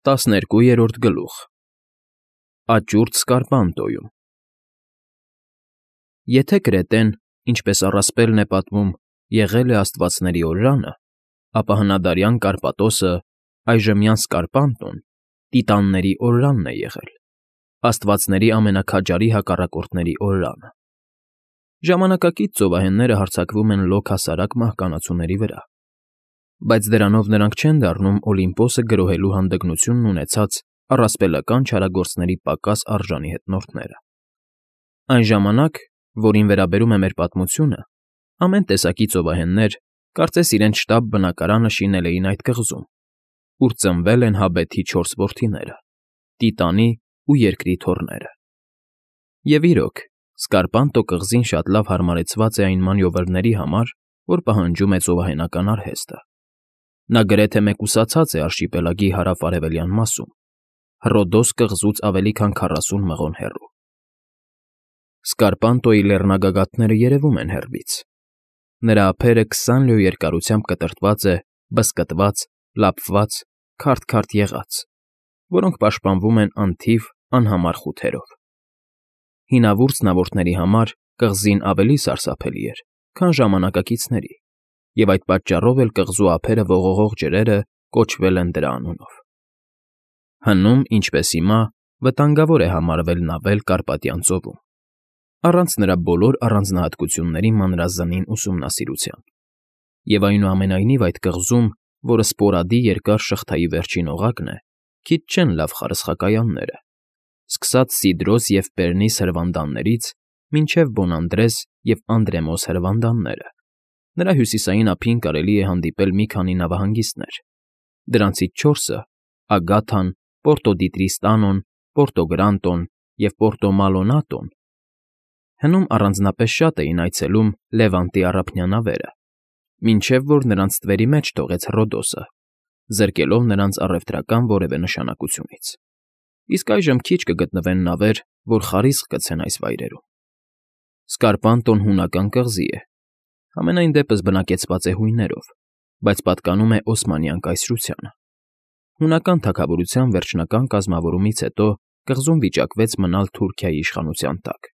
12-րդ գլուխ Աճուրդ Սկարպանտոյում Եթե Կրետեն, ինչպես առասպելն է պատմում, եղել է աստվածների օրրանը, ապա հնադարյան Կարպատոսը, այժմյան Սկարպանտոն, տիտանների օրրանն է եղել, աստվածների ամենաքաջարի հակառակորդների օրրանը։ Ժամանակակից ծովահենները հարձակվում են լոկ հասարակ մահկանացուների վրա, բայց դրանով նրանք չեն դառնում Օլիմպոսը գրոհելու հանդգնությունն ունեցած առասպելական չարագործների պակաս արժանի հետնորդները։ Այն ժամանակ, որին վերաբերում է մեր պատմությունը, ամեն տեսակի ծովահեններ, կարծես իրենց շտապ բնակարանը շինել էին այդ կղզում, ուր ծնվել են Հաբեթի 4 որդիները՝ Տիտանի ու Երկրի թոռները։ Եվ իրոք, Սկարպանտո կղզին շատ լավ հարմարեցված է այն մանյովրների համար, որ պահանջում է ծովահենական արհեստը։ Նա գրեթե մեկուսացած է արշիպելագի հարավ֊արևելյան մասում, Հռոդոս կղզուց ավելի քան 40 մղոն հեռու։ Սկարպանտոյի լեռնագագաթները երևում են հեռվից։ Նրա ափերը 20 լյո երկարությամբ կտրտված է, բզկտված, լափված, քարտ֊քարտ եղած, որոնք պաշտպանվում են անթիվ, անհամար խութերով։ Հինավուրց նավորդների համար կղզին ավելի սարսափելի էր, քան ժամանակակիցների, և այդ պատճառով էլ կղզու ափերը ողողող ջրերը կոչվել են դրա անունով։ Հնում, ինչպես հիմա, վտանգավոր է համարվել նավել Կարպատյան ծովում, առանց նրա բոլոր առանձնահատկությունների մանրազնին ուսումնասիրության։ Եվ այնուամենայնիվ այդ կղզում, որը Սպորադի երկար շղթայի վերջին օղակն է, քիչ չեն լավ խարսխակայանները, սկսած Սիդրոս և Պերնիս հրվանդաններից մինչև Բոնանդրես և Անդրեմոս հրվանդանները։ Նրա հյուսիսային ափին կարելի է հանդիպել մի քանի նավահանգիստներ, դրանցից 4-ը՝ Ագաթան, Պորտո Դիտրիստանոն, Պորտո Գրանտոն և Պորտո Մալոնատոն, հնում առանձնապես շատ էին այցելում Լևանտի առափնյա նավերը, մինչև որ նրանց ստվերի մեջ թողեց Հռոդոսը, զրկելով նրանց առևտրական որևէ նշանակությունից։ Իսկ այժմ քիչ կգտնվեն նավեր, որ խարիսկ գցեն այս վայրերում։ Սկարպանտոն հունական կղզի է, համենայն դեպս բնակեցված է հույներով, բայց պատկանում է Օսմանյան կայսրությանը։ Հունական թագավորության վերջնական կազմավորումից հետո կղզում վիճակվեց մնալ Թուրքիայի իշխանության տակ,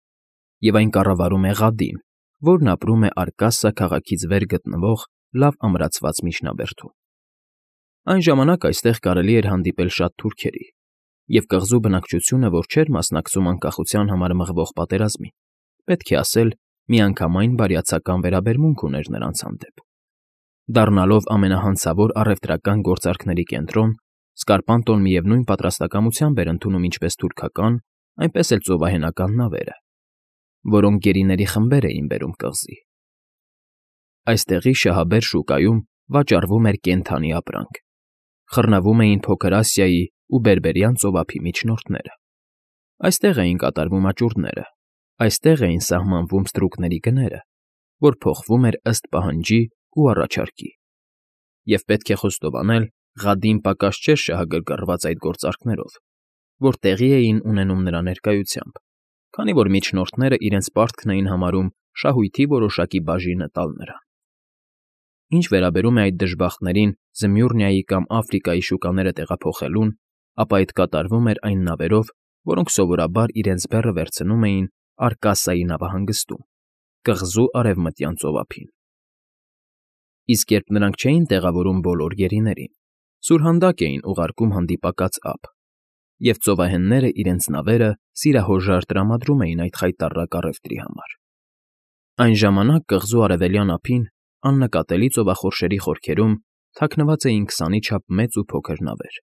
և այն կառավարում է Ղադին, որն ապրում է Արկասսա քաղաքից վեր գտնվող լավ ամրացված միջնաբերդում։ Այն ժամանակ այստեղ կարելի էր հանդիպել շատ թուրքերի, և կղզու բնակչությունը, որ չէր մասնակցում անկախության համար մղվող պատերազմին, պետք է ասել, միանգամայն բարյացակամ վերաբերմունք ուներ նրանց հանդեպ։ Դառնալով ամենահանցավոր առևտրական գործարքների կենտրոն, Սկարպանտոն միևնույն պատրաստակամությամբ էր ընդունում ինչպես թուրքական, այնպես էլ ծովահենական նավերը, որոնք գերիների խմբեր էին բերում կղզի։ Այստեղի շահաբեր շուկայում վաճառվում էր կենդանի ապրանք, խռնվում էին Փոքր Ասիայի ու Բերբերյան ծովափի միջնորդները։ Այստեղ էին կատարվում աճուրդները, այստեղ էին սահմանվում ստրուկների գները, որ փոխվում էր ըստ պահանջի ու առաջարկի։ Եվ պետք է խոստովանել, Ղադին պակաս չէր շահագրգռված այդ գործարքներով, որ տեղի էին ունենում նրա ներկայությամբ, քանի որ միջնորդները իրենց պարտքն էին համարում շահույթի որոշակի բաժինը տալ նրան։ Ինչ վերաբերում է այդ դժբախտներին Զմյուռնիայի կամ Աֆրիկայի շուկաները տեղափոխելուն, ապա այդ կատարվում էր այն նավերով, որոնք սովորաբար իրենց բեռը վերցնում էին Արկասսայի նավահանգստում, կղզու արևմտյան ծովափին։ Իսկ երբ նրանք չէին տեղավորում բոլոր գերիներին, սուրհանդակ էին ուղարկում հանդիպակաց ափ, և ծովահենները իրենց նավերը սիրահորժար տրամադրում էին այդ խայտառակ առևտրի համար։ Այն ժամանակ կղզու արևելյան ափին, աննկատելի ծովախորշերի խորքերում թաքնված էին 20-ի չափ մեծ ու փոքր նավեր,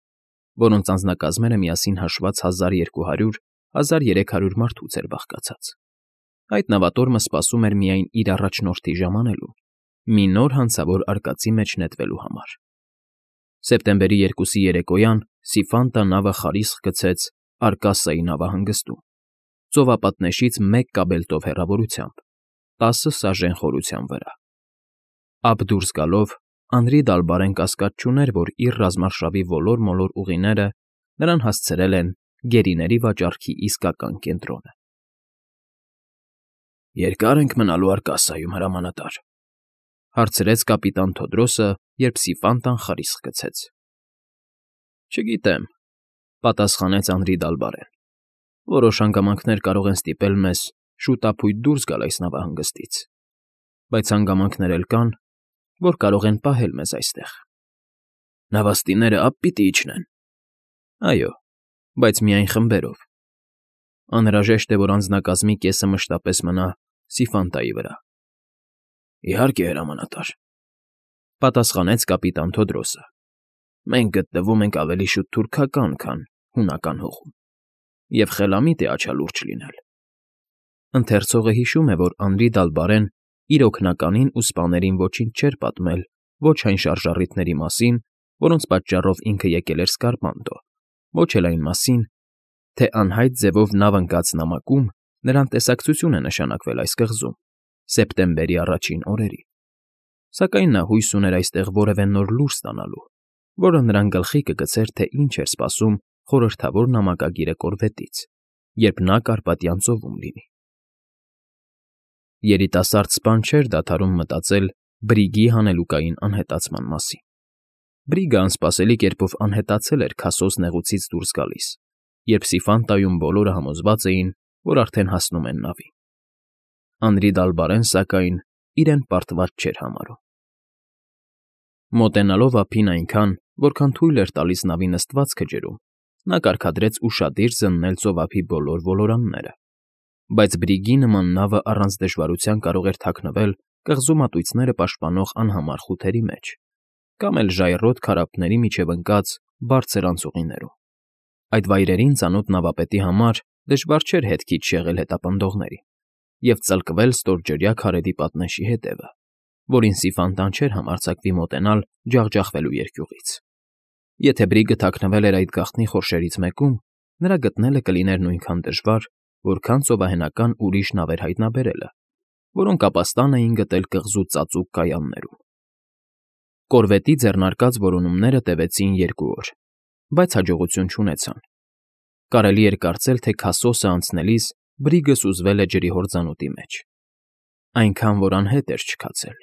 որոնց անձնակազմերը միասին հաշված 1200-1300 մարդուց էր բաղկացած։ Այդ նավատորմը սպասում էր միայն իր առաջնորդի ժամանելուն, մի նոր հանցավոր արկածի մեջ նետվելու համար։ Սեպտեմբերի 2-ի երեկոյան Սիֆանտա նավը խարիսկ գցեց Արկասսայի նավահանգստում, ծովապատնեշից 1 կաբելտով հեռավորությամբ, 10 սաժեն խորության վրա։ Ափ դուրս գալով Անրի Դալբարեն կասկած չուներ, որ իր ռազմարշավի ոլոր֊մոլոր ուղիները նրան հասցրել են գերիների վաճառքի իսկական կենտրոնը։ «Երկա՞ր ենք մնալու Արկասսայում, հրամանատար,֊ հարցրեց կապիտան Թոդրոսը, երբ Սիֆանտան խարիսկ գցեց։ ֊ Չգիտեմ, Պատասխանեց Անրի Դալբարեն։ Որոշ հանգամանքներ կարող են ստիպել մեզ շուտափույթ դուրս գալ այս նավահանգստից, բայց հանգամանքներ էլ կան, որ կարող են պահել մեզ այստեղ։ Նավաստիները ափ պիտի իջնեն։ Այո, բայց միայն խմբերով։ Անհրաժեշտ է, որ անձնակազմի կեսը մշտապես մնա Սիֆանտայի վրա։ Իհարկե, հրամանատար, պատասխանեց կապիտան Թոդրոսը։ Մենք գտնվում ենք ավելի շուտ թուրքական, քան հունական հողում, և խելամիտ է աչալուրջ լինել։ Ընթերցողը հիշում է, որ Անրի Դալբարեն իր օգնականին ու սպաներին ոչինչ չէր պատմել ոչ այն շարժառիթների մասին, որոնց պատճառով ինքը եկել էր Սկարպանդո, ոչ էլ այն մասին, թե անհայտ ձևով նավ ընկած նամակում նրան տեսակցություն է նշանակվել այս կղզում սեպտեմբերի առաջին օրերին։ Սակայն նա հույս ուներ այստեղ որևէ նոր լուր ստանալու, որը նրան գլխի կգցեր, թե ինչ էր սպասում խորհրդավոր նամակագիրը կորվետից, երբ նա Կարպատյան ծովում լինի։ Երիտասարդ սպան չէր դադարում մտածել Բրիգի հանելուկային անհետացման մասին։ Բրիգը անսպասելի կերպով անհետացել էր Քասոս նեղուցից դուրս գալիս, երբ Սիֆանտայում բոլորը համոզված էին, որ արդեն հասնում են նավին։ Անրի Դալբարեն, սակայն, իրեն պարտված չէր համարում։ Մոտենալով ափին այնքան, որքան թույլ էր տալիս նավի նստվածքը ջրում, նա կարգադրեց ուշադիր զննել ծովափի բոլոր ոլորանները, բայց Բրիգի նման նավը առանց դժվարության կարող էր թաքնվել կղզու մատույցները պաշտպանող անհամար խութերի մեջ, կամ էլ ժայռոտ քարափների միջև ընկած բարձր անցուղիներում։ Այդ վայրերին ծանոթ նավապետի համար դժվար չէր հետքից շեղել հետապնդողներին և ծլկվել ստորջրյա քարերի պատնեշի հետևը, որին Սիֆանտան չէր համարձակվի մոտենալ ջախջախվելու երկյուղից։ Եթե Բրիգը թաքնվել էր այդ գաղտնի խորշերից մեկում, նրա գտնելը կլիներ նույնքան դժվար, որքան ծովահենական ուրիշ նավեր հայտնաբերելը, որոնք ապաստան էին գտել կղզու ծածուկ կայաններում։ Կորվետի ձեռնարկած որոնումները տևեցին 2 օր, բայց հաջողություն չունեցան։ Կարելի էր կարծել, թե Քասոսը անցնելիս Բրիգը սուզվել է ջրի հորձանուտի մեջ։ Այնքան, որ անհետ էր չքացել։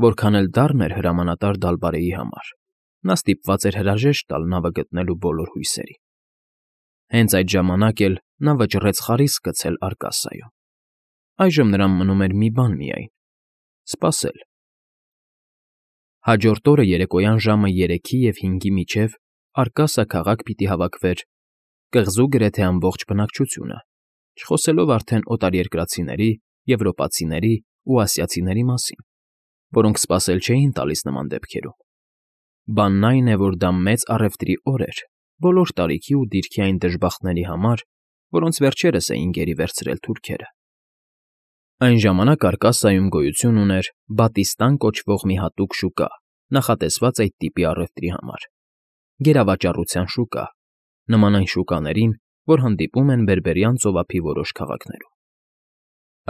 Որքան էլ դառն էր հրամանատար Դալբարեի համար, նա ստիպված էր հրաժեշտ տալ նավը գտնելու բոլոր հույսերին։ Հենց այդ ժամանակ էլ նա վճռեց խարիսկ գցել Արկասայում։ Այժմ նրան մնում էր մի բան միայն՝ սպասել։ Հաջորդ օրը երեկոյան ժամը 3-ի և 5-ի միջև Արկասա քաղաք պիտի հավաքվեր կղզու գրեթե ամբողջ բնակչությունը, չխոսելով արդեն օտարերկրացիների, եվրոպացիների ու ասիացիների մասին, որոնք սպասել չէին տալիս նման դեպքերում։ Բանն այն է, որ դա մեծ առևտրի օր էր բոլոր տարիքի ու դիրքի այն դժբախտների համար, որոնց վերջերս էին գերի վերցրել թուրքերը։ Այն ժամանակ Արկասայում գոյություն ուներ Բատիստան կոչվող մի հատուկ շուկա, նախատեսված այդ տիպի առևտրի համար։ Գերավաճառության շուկա, նման այն շուկաներին, որ հանդիպում են Բերբերյան ծովափի որոշ քաղաքներում։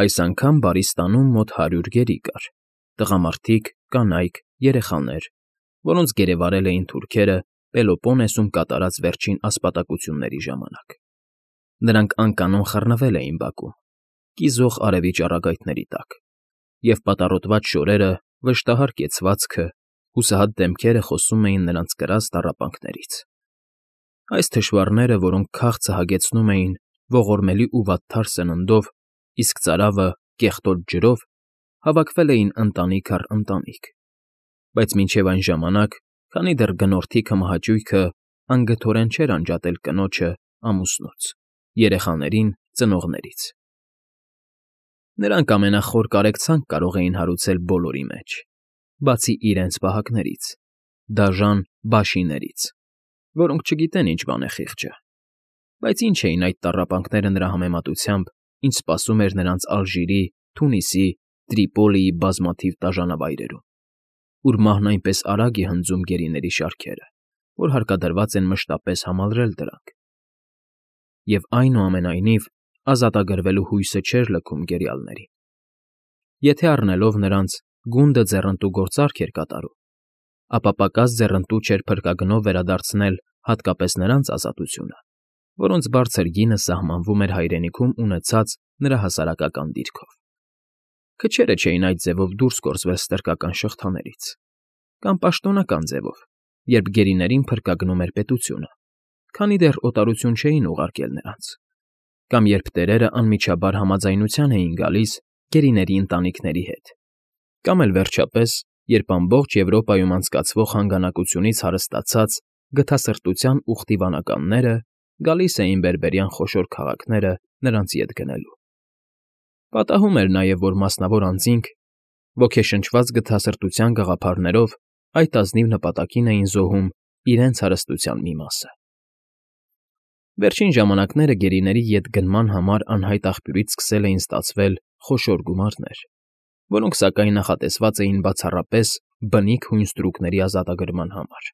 Այս անգամ Բարիստանում մոտ 100 գերի կար՝ տղամարդիկ, կանայք, երեխաներ, որոնց գերեվարել էին թուրքերը Պելոպոնեսում կատարած վերջին ասպատակությունների ժամանակ։ Նրանք անկանոն խռնվել էին բակում, կիզող արևի ճառագայթների տակ, և պատառոտված շորերը, վշտահար կեցվածքը, հուսահատ դեմքերը խոսում էին նրանց կրած տառապանքներից։ Այս թշվառները, որոնք քաղցը հագեցնում էին ողորմելի ու վատթար սննդով, իսկ ծարավը՝ կեղտոտ ջրով, հավաքվել էին ընտանիք առ ընտանիք, բայց մինչև այն ժամանակ, քանի դեռ գնորդի մահաճույքը անգթորեն չէր անջատել կնոջը ամուսնուց, երեխաներին ծնողներից։ Նրանք ամենախոր կարեկցանք կարող էին հարուցել բոլորի մեջ, բացի իրենց պահակներից, դաժան բաշիներից, որոնք չգիտեն ինչ բան է խիղճը, բայց ինչ էին այդ տառապանքները նրա համեմատությամբ, ինչ սպասում էր նրանց Ալժիրի, Թունիսի, Տրիպոլիի բազմաթիվ տաժանավայրերում, ուր մահն այնպես արագ է հնձում գերիների շարքերը, որ հարկադրված են մշտապես համալրել դրանք։ Եվ այնուամենայնիվ ազատագրվելու հույսը չէր լքում գերիալներին։ Եթե առնելով նրանց գունդը ձեռնտու գործարք էր կատարում, ապա պակաս ձեռնտու չէր փրկագնով վերադարձնել հատկապես նրանց ազատությունը, որոնց բարձր գինը սահմանվում էր հայրենիքում ունեցած նրա հասարակական դիրքով։ Քչերը չէին այդ ձևով դուրս գործվել ստրկական շղթաներից, կամ պաշտոնական ձևով, երբ գերիներին փրկագնում էր պետությունը, քանի դեռ օտարություն չէին ուղարկել նրանց, կամ երբ տերերը անմիջաբար համաձայնության էին գալիս գերիների ընտանիքների հետ, կամ էլ վերջապես, երբ ամբողջ Եվրոպայում անցկացվող հանգանակությունից հարստացած գթասրտության ուխտի վանականները գալիս էին բերբերյան խոշոր քաղաքները նրանց ետ գնելու։ Պատահում էր նաև, որ մասնավոր անձինք, ոգեշնչված գթասրտության գաղափարներով, այդ ազնիվ նպատակին էին զոհում իրենց հարստության մի մասը։ Վերջին ժամանակները գերիների ետ գնման համար անհայտ աղբյուրից սկսել էին ստացվել խոշոր գումարներ, որոնք սակայն նախատեսված էին բացառապես բնիկ հույն ստրուկների ազատագրման համար,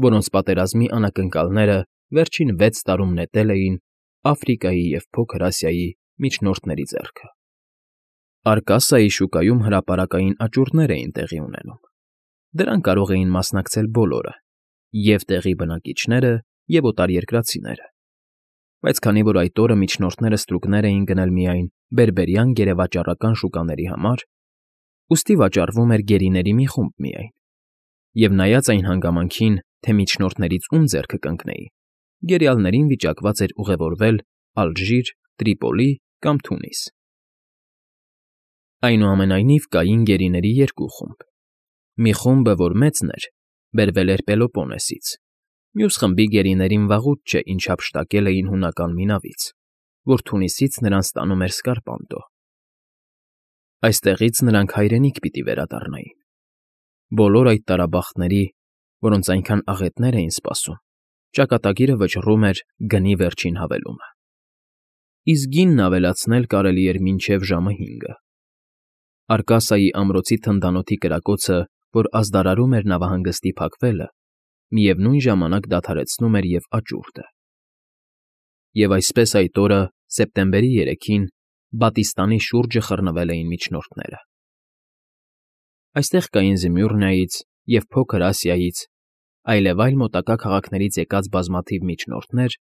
որոնց պատերազմի անակնկալները վերջին 6 տարում նետել էին Աֆրիկայի և Փոքր Ասիայի միջնորդների ձեռքը։ Արկասիայի շուկայում հրապարակային աճուրդներ էին տեղի ունենում։ Դրան կարող էին մասնակցել բոլորը, և տեղի բնակիչները, և օտարերկրացիները, բայց քանի որ այդ օրը միջնորդները ստրուկներ էին գնել միայն բերբերյան գերեվաճառական շուկաների համար, ուստի վաճառվում էր գերիների մի խումբ միայն, և նայած այն հանգամանքին, թե միջնորդներից ում ձեռքը կընկնեին, գերիալներին վիճակված էր ուղևորվել Ալժիր, Տրիպոլի կամ Թունիս։ Այնուամենայնիվ կային գերիների երկու խումբ. մի խումբը, որ մեծն էր, բերվել էր Պելոպոնեսից, մյուս խմբի գերիներին վաղուց չէ ինչ հափշտակել էին հունական մի նավից, որ Թունիսից նրանց տանում էր Սկարպանտո։ Այստեղից նրանք հայրենիք պիտի վերադառնային։ Բոլոր այդ տարաբախտների, որոնց այնքան աղետներ էին սպասում, ճակատագիրը վճռում էր գնի վերջին հավելումը։ Իսկ գինն ավելացնել կարելի էր մինչև ժամը 5-ը։ Արկասիայի ամրոցի թնդանոթի կրակոցը, որ ազդարարում էր նավահանգստի փակվելը, միևնույն ժամանակ դադարեցնում էր և աճուրդը։ Եվ այսպես այդ օրը, սեպտեմբերի 3-ին, Բատիստանի շուրջը խռնվել էին միջնորդները։ Այստեղ կային Զմյուռնիայից և Փոքր Ասիայից, այլևայլ մոտակա քաղաքներից եկած բազմաթիվ միջնորդներ,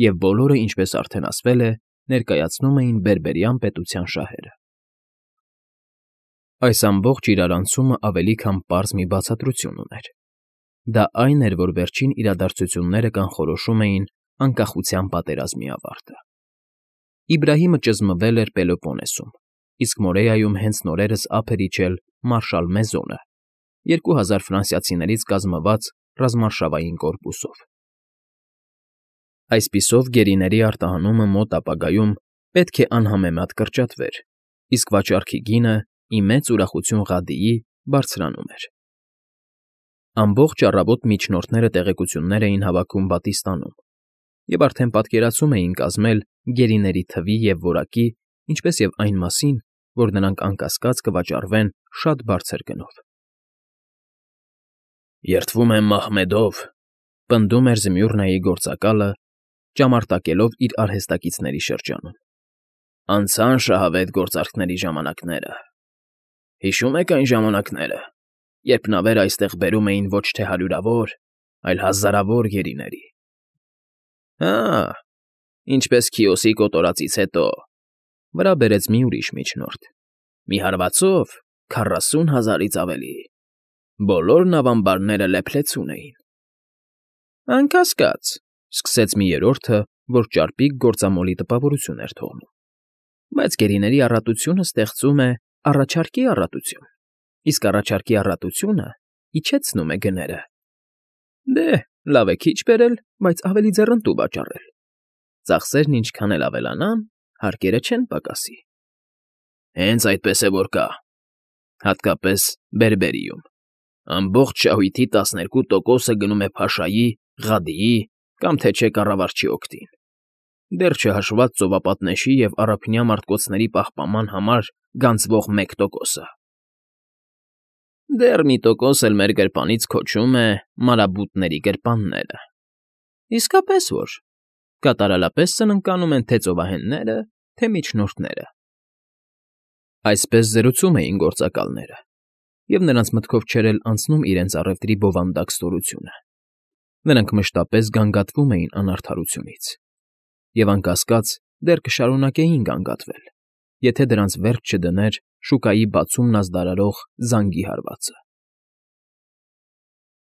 և բոլորը, ինչպես արդեն ասվել է, ներկայացնում էին բերբերյան պետության շահերը։ Այս ամբողջ իրարանցումը ավելի քան պարզ մի բացատրություն ուներ։ Դա այն էր, որ վերջին իրադարձությունները կանխորոշում էին անկախության պատերազմի ավարտը։ Իբրահիմը ճզմվել էր Պելոպոնեսում, իսկ Մորեայում հենց նորերս ափ էր իջել մարշալ Մեզոնը 2000 ֆրանսիացիներից կազմված ռազմարշավային կորպուսով։ Այսպիսով գերիների արտահանումը մոտ ապագայում պետք է անհամեմատ կրճատվեր, իսկ վաճառքի գինը, ի մեծ ուրախություն Ղադիի, բարձրանում էր։ Ամբողջ առավոտ միջնորդները տեղեկություններ էին հավաքում Բատիստանում և արդեն պատկերացում էին կազմել գերիների թվի և որակի, ինչպես և այն մասին, որ նրանք անկասկած կվաճառվեն շատ բարձր գնով։ «Երդվում եմ Մահմեդով», պնդում էր Զմյուռնիայի գործակալը, ճամարտակելով իր արհեստակիցների շրջանում։ «Անցան շահավետ գործարքների ժամանակները։ Հիշո՞ւմ եք այն ժամանակները, երբ նավերը այստեղ բերում էին ոչ թե հարյուրավոր, այլ հազարավոր գերիների։ Հա, ինչպես Քիոսի կոտորածից հետո,֊ վրա բերեց մի ուրիշ միջնորդ,֊ մի հարվածով 40,000-ից ավելի. բոլոր նավամբարները լեփլեցուն էին»։ «Անկասկած,֊ սկսեց մի երրորդը, որ ճարպիկ գործամոլի տպավորություն էր թողնում,֊ բայց գերիների առատությունը ստեղծում է առաջարկի առատություն, իսկ առաջարկի առատությունը իջեցնում է գները։ Դե, լավ է քիչ բերել, բայց ավելի ձեռնտու վաճառել։ Ծախսերն ինչքան էլ ավելանան, հարկերը չեն պակասի»։ «Հենց այդպես է որ կա, հատկապես Բերբերիում. ամբողջ շահույթի 12%-ը գնում է Փաշայի, Ղադիի կամ թե չէ կառավարչի օգտին, դեռ չհաշված ծովապատնեշի և առափնյա մարտկոցների պահպանման համար գանձվող 1%-ը։ Դեռ մի տոկոս էլ մեր գրպանից քոչում է մարաբուտների գրպանները։ Իսկապես որ, կատարալապես սնանկանում են թե ծովահենները, թե միջնորդները»։ Այսպես զրուցում էին գործակալները, և նրանց մտքով չէր էլ անցնում իրենց առևտրի բովանդակ ստորությունը։ Նրանք մշտապես գանգատվում էին անարդարությունից, և անկասկած դեռ կշարունակեին գանգատվել, եթե դրանց վերջ չդներ շուկայի բացումն ազդարարող զանգի հարվածը։